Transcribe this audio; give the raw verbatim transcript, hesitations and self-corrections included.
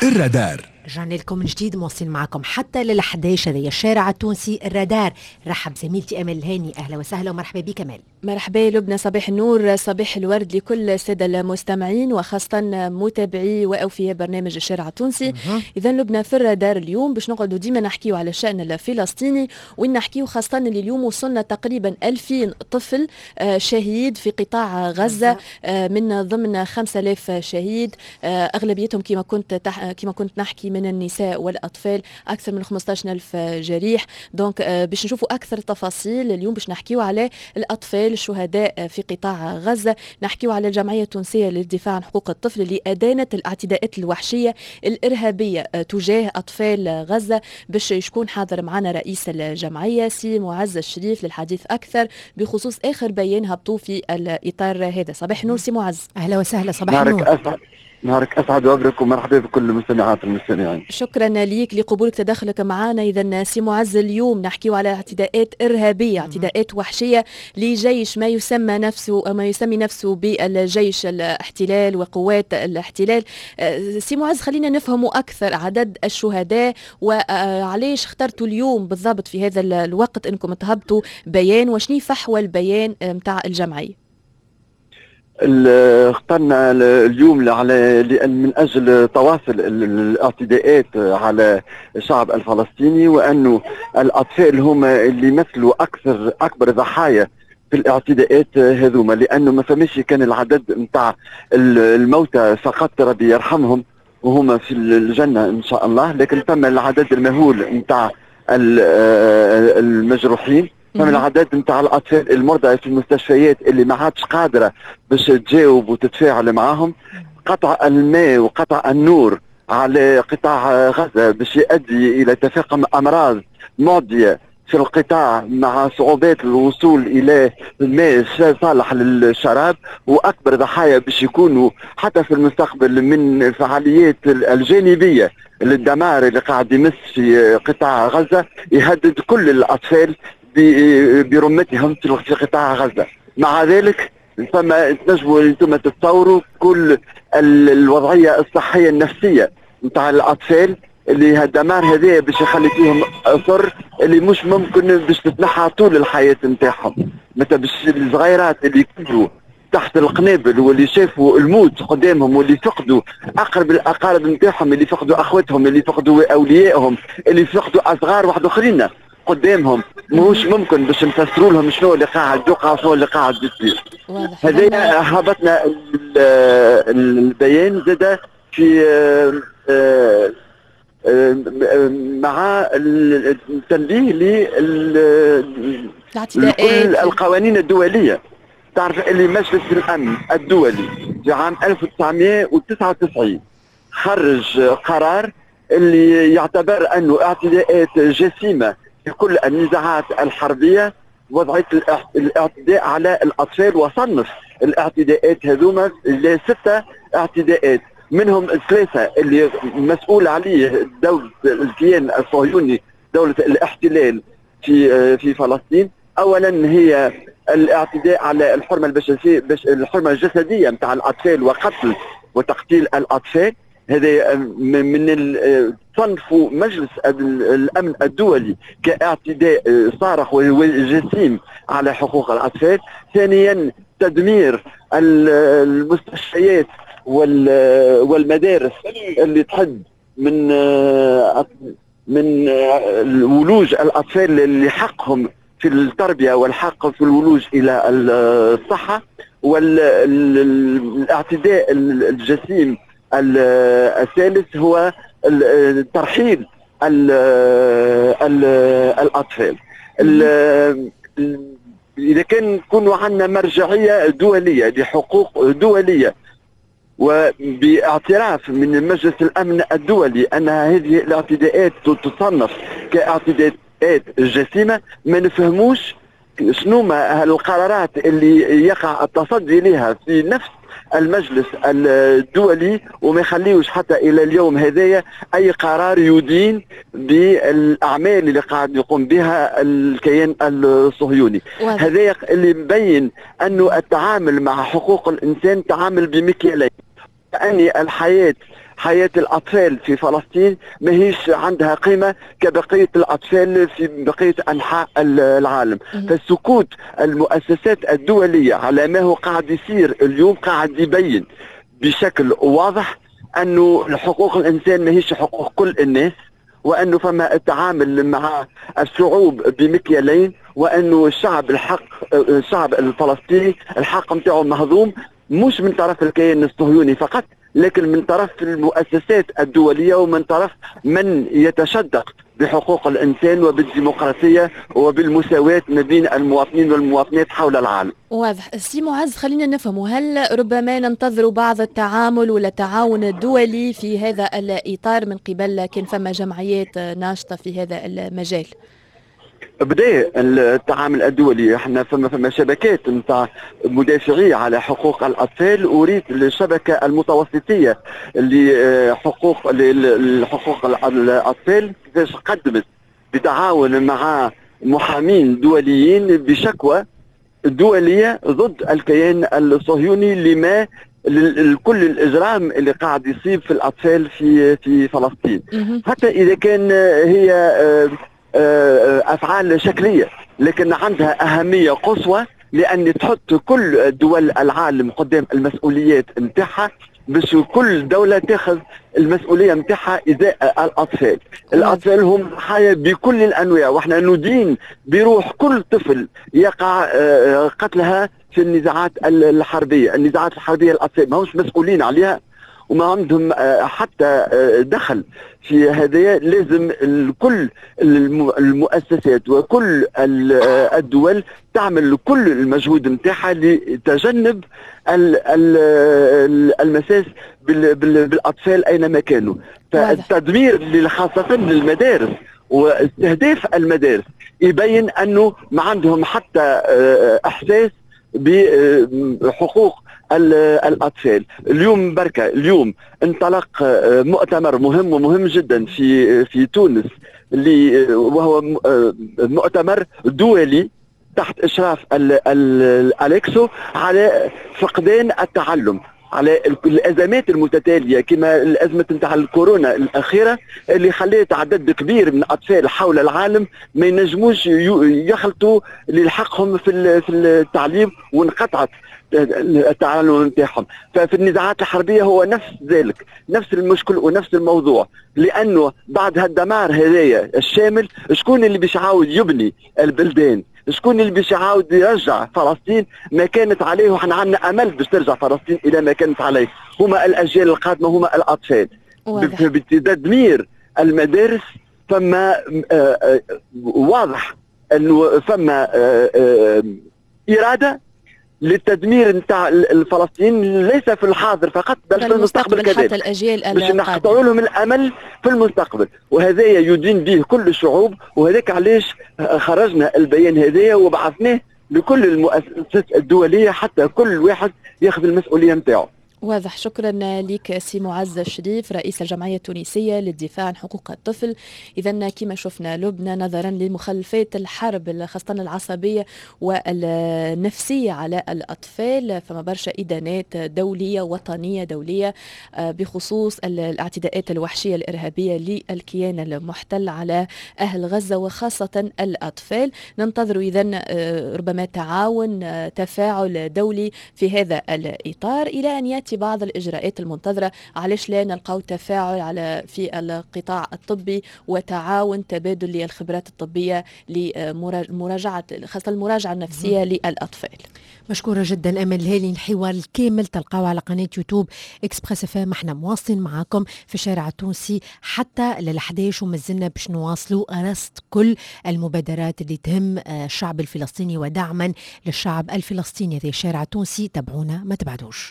الرادار. رجعنا لكم من جديد، مواصلين معكم حتى لل حداش. هذا الشارع التونسي الرادار. رحب زميلتي امل الهاني، اهلا وسهلا ومرحبا بك امل. مرحبا لبنى، صباح النور، صباح الورد لكل السادة المستمعين وخاصة متابعي واوفياء برنامج الشارع التونسي. اذا لبنى، في الرادار اليوم باش نقعدوا ديما نحكيو على الشان الفلسطيني، وين نحكيو خاصة اللي اليوم وصلنا تقريبا ألفين طفل آه، شهيد في قطاع غزه، آه، من ضمن خمسة آلاف شهيد، آه، اغلبيتهم كما كنت تح... كما كنت نحكي من النساء والاطفال، اكثر من خمسطاش ألف جريح. donc باش نشوفوا اكثر تفاصيل اليوم، باش نحكيو على الاطفال الشهداء في قطاع غزة، نحكيو على الجمعية التونسية للدفاع عن حقوق الطفل اللي أدانت الاعتداءات الوحشية الإرهابية تجاه أطفال غزة. باش يكون حاضر معنا رئيس الجمعية سي معز الشريف للحديث أكثر بخصوص آخر بيان هبطوا في الإطار هذا. صباح النور سي معز. أهلا وسهلا، صباح النور. أسعد، نهارك اسعد وابرك، ومرحبا بكل المستمعات والمستمعين. شكرا ليك لقبولك تدخلك معنا. اذا سي معز، اليوم نحكيو على اعتداءات ارهابيه، اعتداءات وحشية لجيش ما يسمى نفسه ما يسمي نفسه بالجيش الاحتلال وقوات الاحتلال. أه، سي معز، خلينا نفهموا اكثر عدد الشهداء وعليش اخترتوا اليوم بالضبط في هذا الوقت انكم تهبطوا بيان، وشني فحوى البيان نتاع الجمعيه؟ اخترنا اليوم على من اجل تواصل الاعتداءات على الشعب الفلسطيني، وانه الاطفال هم اللي يمثلوا اكثر اكبر ضحايا في الاعتداءات هذوما، لانه ما فماش كان العدد نتاع الموتى فقط، ربي يرحمهم وهم في الجنة ان شاء الله، لكن ثم العدد المهول نتاع المجروحين، فما العدد نتاع الاطفال المرضى في المستشفيات اللي ما عادش قادرة باش تجاوب وتتفاعل معاهم. قطع الماء وقطع النور على قطاع غزة باش يؤدي الى تفاقم امراض معدية في القطاع، مع صعوبات الوصول الى الماء صالح للشراب، واكبر ضحايا باش يكونوا حتى في المستقبل من الفعاليات الجانبية للدمار اللي قاعد يمس في قطاع غزه، يهدد كل الاطفال برمتهم في قطاع غزه. مع ذلك فما تنجموا انتم تتصوروا كل الوضعية الصحية النفسية نتاع الاطفال اللي هالدمار هذا باش يخلي فيهم اثر اللي مش ممكن باش تتنحى طول الحياة نتاعهم. مثلا باش الصغيرات اللي كبروا تحت القنابل واللي شافوا الموت قدامهم واللي فقدوا اقرب الاقارب نتاعهم، اللي فقدوا اخوتهم، اللي فقدوا اوليائهم، اللي فقدوا اصغار واحد اخرين قدامهم، ماهوش ممكن باش نفسروا لهم شنو اللي قاعد يوقع وشنو اللي قاعد يصير. هذا هبطنا البيان زاد في آه، آه، مع التنبيه لكل القوانين الدوليه. تعرف اللي مجلس الامن الدولي في عام ألف وتسعمية وتسعة وتسعين خرج قرار اللي يعتبر انه اعتداءات جسيمة في كل النزاعات الحربية وضعت الاعتداء على الاطفال، وصنف الاعتداءات هذوما لستة اعتداءات، منهم ثلاثة اللي مسؤول عليه دولة الكيان الصهيوني، دولة الاحتلال في في فلسطين. اولا هي الاعتداء على الحرمة البشريه، الحرمة الجسدية نتاع الاطفال، وقتل وتقتيل الاطفال. هذا من صنف مجلس الامن الدولي كاعتداء صارخ وجسيم على حقوق الاطفال. ثانيا تدمير المستشفيات والمدارس اللي تحد من من ولوج الاطفال اللي حقهم في التربية والحق في الولوج الى الصحه. والاعتداء الجسيم الثالث هو ترحيل الاطفال. اذا كان نكونوا عندنا مرجعية دولية لحقوق دولية وباعتراف من مجلس الامن الدولي ان هذه الاعتداءات تصنف كاعتداءات جسيمه، ما نفهموش شنو ما القرارات اللي يقع التصدي لها في نفس المجلس الدولي وما يخليوش حتى الى اليوم هذايا اي قرار يدين بالاعمال اللي قاعد يقوم بها الكيان الصهيوني. هذا اللي مبين انه التعامل مع حقوق الانسان تعامل بمكيالين، يعني الحياة حياة الأطفال في فلسطين ماهيش عندها قيمة كبقية الأطفال في بقية أنحاء العالم. فالسكوت المؤسسات الدولية على ما هو قاعد يصير اليوم قاعد يبين بشكل واضح أنه حقوق الإنسان ماهيش حقوق كل الناس، وأنه فما التعامل مع الشعوب بمكيالين، وأنه الشعب الحق الشعب الفلسطيني الحق نتاعو مهضوم، مش من طرف الكيان الصهيوني فقط، لكن من طرف المؤسسات الدولية ومن طرف من يتشدق بحقوق الإنسان وبالديمقراطية وبالمساواة ما بين المواطنين والمواطنات حول العالم. واضح. سي معز، خلينا نفهم، هل ربما ننتظر بعض التعامل ولا التعاون الدولي في هذا الإطار من قبل كان فما جمعيات ناشطة في هذا المجال؟ بدا التعامل الدولي، احنا فما فما شبكات نتاع مدافعي على حقوق الاطفال، اريد الشبكة المتوسطيه لحقوق لحقوق الاطفال كيفاش قدمت بتعاون مع محامين دوليين بشكوى دولية ضد الكيان الصهيوني لما كل الاجرام اللي قاعد يصيب في الاطفال في في فلسطين، حتى اذا كان هي افعال شكلية لكن عندها اهمية قصوى، لان تحط كل دول العالم قدام المسؤوليات نتاعها باش كل دولة تاخذ المسؤولية نتاعها ازاء الاطفال. الاطفال هم ضحايا بكل الانواع، واحنا ندين بروح كل طفل يقع قتلها في النزاعات الحربية. النزاعات الحربية الاطفال ما همش مسؤولين عليها وما عندهم حتى دخل في هذا. لازم كل المؤسسات وكل الدول تعمل كل المجهود نتاعها لتجنب المساس بالاطفال اينما كانوا. فالتدمير خاصة للمدارس واستهداف المدارس يبين انه ما عندهم حتى احساس بحقوق الأطفال. اليوم بركة اليوم انطلق مؤتمر مهم ومهم جدا في في تونس، اللي وهو مؤتمر دولي تحت إشراف الأليكسو على فقدان التعلم، على الأزمات المتتالية كما الأزمة نتاع الكورونا الأخيرة اللي خلت عدد كبير من الأطفال حول العالم ما ينجموش يخلطوا لحقهم في في التعليم وانقطعت التعلم نتاعهم. ففي النزاعات الحربية هو نفس ذلك، نفس المشكل ونفس الموضوع، لأنه بعد هالدمار هذايا الشامل شكون اللي باش يعاود يبني البلدان؟ شكون اللي باش يعاود يرجع فلسطين ما كانت عليه؟ وحنا عندنا امل باش ترجع فلسطين الى ما كانت عليه. هما الاجيال القادمة، هما الاطفال. بتدمير المدارس فما واضح انه فما اراده للتدمير نتاع الفلسطينيين، ليس في الحاضر فقط بل في المستقبل كذلك، الاجيال باش نقطعوا لهم الامل في المستقبل، وهذا يدين به كل الشعوب. وهذاك علاش خرجنا البيان هذايا وبعثناه لكل المؤسسات الدولية حتى كل واحد ياخذ المسؤولية نتاعو. واضح. شكرا لك سي معز الشريف رئيس الجمعية التونسية للدفاع عن حقوق الطفل. إذا كما شفنا لبنى، نظرا لمخلفات الحرب خاصة العصبية والنفسية على الأطفال، فما برشا إدانات دولية وطنية دولية بخصوص الاعتداءات الوحشية الإرهابية للكيان المحتل على أهل غزة وخاصة الأطفال. ننتظر إذا ربما تعاون تفاعل دولي في هذا الإطار إلى أن يأتي بعض الإجراءات المنتظرة. علاش لا نلقاو تفاعل على في القطاع الطبي وتعاون تبادل للخبرات الطبية لمراجعة خاصة المراجعة النفسية للأطفال. مشكورة جدا أمل الهالي. الحوار الكامل تلقاوه على قناة يوتيوب Express FM. احنا مواصلين معاكم في الشارع التونسي حتى للحداش، ومازلنا باش نواصلوا رصد كل المبادرات اللي تهم الشعب الفلسطيني ودعما للشعب الفلسطيني. هذا الشارع التونسي، تابعونا ما تبعدوش.